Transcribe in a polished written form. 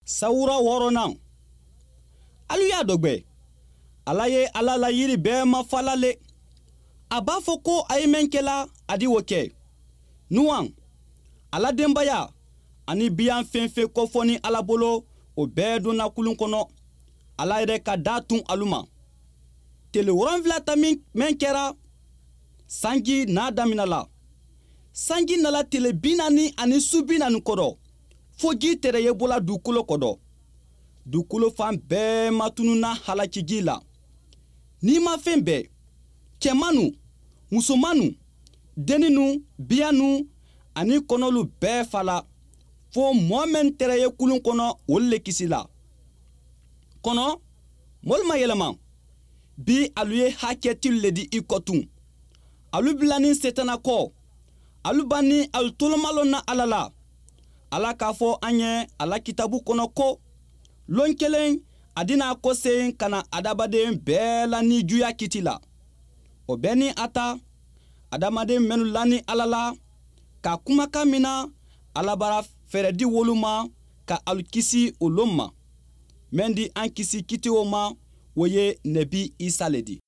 Sawura wɔɔrɔnan, alu y'a dɔgbɛ, Ala ye ala la yiri bɛɛ mafala le. A b'a fɔ ko a ye mɛn kɛla, a di o kɛ. Nuwan, a la denbaya ani biyan fɛn fɛn kofɔnin Ala bolo, o bɛɛ donna kulun kɔnɔ. Ala yɛrɛ ka da tun alu ma. Tele 7 ta mɛn kɛra, sanji n'a damina la. Sanji nala tele 40 ani su 40 kɔrɔ, fo ji tɛrɛ ye bɔla dugukolo kɔrɔ. Dugukolo fan bɛɛ matununa halakiji la. Nimafɛn bɛɛ, cɛmanu, musomanu, denninnu, biyannu ani kɔnɔlu bɛɛ fala, fo mɔɔ mɛn tɛrɛ ye kulun kɔnɔ, olu le kisila. Kɔnɔ mɔlu ma yɛlɛma. Bi alu ye hakɛtilu le di i kɔ tun. Alu bilanin Setana kɔ, alu banni alu tolomalɔ na Ala la. Ala k'a fɔ an ye a la kitabu kɔnɔ ko lon kelen a dina kɔsegin ka na adamaden bɛɛ la nijuya kiti la. O bɛɛ ni a ta, adamaden minnu lani Ala la ka kumakan mina, Ala bara fɛɛrɛ di wolu ma ka alu kisi o lon ma. Mɛn di an kisi kiti o ma, o ye Nɛbi Isa le di.